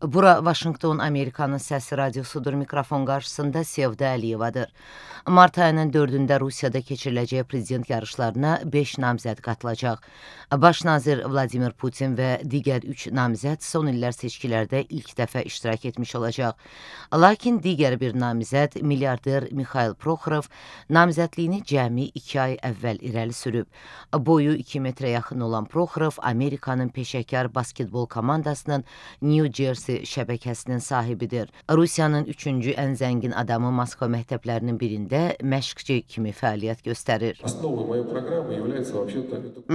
Bura Vaşinqton Amerikanın səsi radiosudur. Mikrofon qarşısında Sevda Əliyevadır. Mart ayının 4-də Rusiyada keçiriləcək prezident yarışlarına 5 namizəd qatılacaq. Baş nazir Vladimir Putin və digər 3 namizəd son illər seçkilərdə ilk dəfə iştirak etmiş olacaq. Lakin digər bir namizəd, milyarder Mikhail Proxorov, namizədliyini cəmi 2 ay əvvəl irəli sürüb. Boyu 2 metrə yaxın olan Proxorov, Amerikanın peşəkar basketbol komandasının New Jersey şəbəkəsinin sahibidir. Rusiyanın 3-cü ən zəngin adamı Moskva məktəblərinin birində məşqçi kimi fəaliyyət göstərir.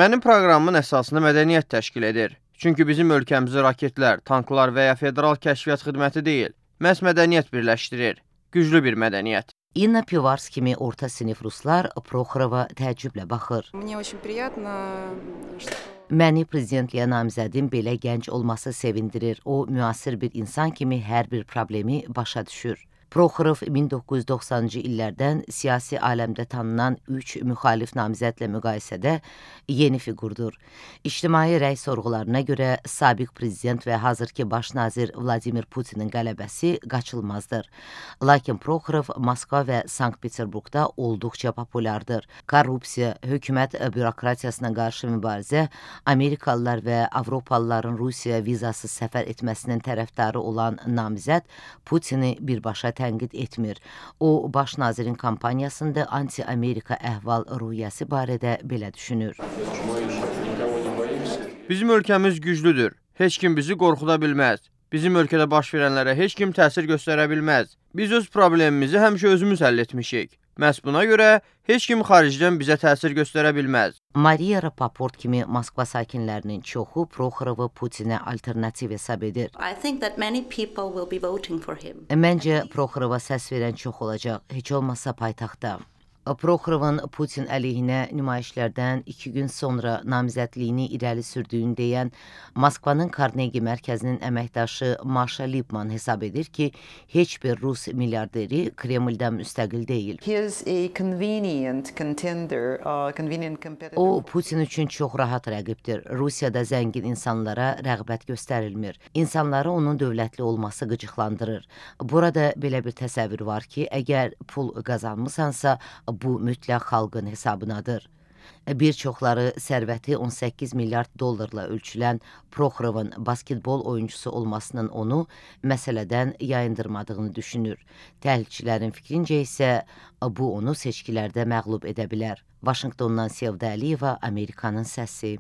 Mənim proqramımın əsasını mədəniyyət təşkil edir. Çünki bizim ölkəmizi raketlər, tanklar və ya federal kəşfiyyat xidməti deyil, məhz mədəniyyət birləşdirir. Güclü bir mədəniyyət. İnna Pivars kimi orta sinif ruslar Proxorova təəccüblə baxır. Məni prezidentliyə namizədin belə gənc olması sevindirir. O, müasir bir insan kimi hər bir problemi başa düşür. Proxorov 1990-cı illərdən siyasi aləmdə tanınan 3 müxalif namizədlə müqayisədə yeni fiqurdur. İctimai rəy sorğularına görə sabiq prezident və hazırki baş nazir Vladimir Putinin qələbəsi qaçılmazdır. Lakin Proxorov Moskva və Sankt-Peterburqda olduqca populyardır. Korrupsiya, hökumət bürokratiyasına qarşı mübarizə, Amerikalılar və Avropalıların Rusiya vizasız səfər etməsinin tərəfdarı olan namizəd Putini birbaşa tənqid etmir. O, baş nazirin kampaniyasında anti-Amerika əhval-ruhiyyəsi barədə belə düşünür. Bizim ölkəmiz güclüdür. Heç kim bizi qorxuda bilməz. Bizim ölkədə baş verənlərə heç kim təsir göstərə bilməz. Biz öz problemimizi həmişə özümüz həll etmişik. Məhz buna görə heç kim xaricdən bizə təsir göstərə bilməz. Mariya Rapaport kimi Moskva sakinlərinin çoxu Proxorovu Putinə alternativ hesab edir. Məncə Proxorova səs verən çox olacaq, heç olmasa paytaxtda. Proxorovun Putin əleyhinə nümayişlərdən 2 gün sonra namizədliyini irəli sürdüyünü deyən Moskvanın Karnegi mərkəzinin əməkdaşı Maşa Lipman hesab edir ki, heç bir Rus milyarderi Kremldən müstəqil deyil. O, Putin üçün çox rahat rəqibdir. Rusiyada zəngin insanlara rəğbət göstərilmir. İnsanları onun dövlətli olması qıcıqlandırır. Burada belə bir təsəvvür var ki, əgər pul qazanmısansa, bu mütləq xalqın hesabınadır. Bir çoxları sərvəti 18 milyard dollarla ölçülən Proxorovun basketbol oyuncusu olmasının onu məsələdən yayındırmadığını düşünür. Təhlilçilərin fikrincə isə bu onu seçkilərdə məğlub edə bilər. Vaşinqtondan Sevda Əliyeva, Amerikanın səsi.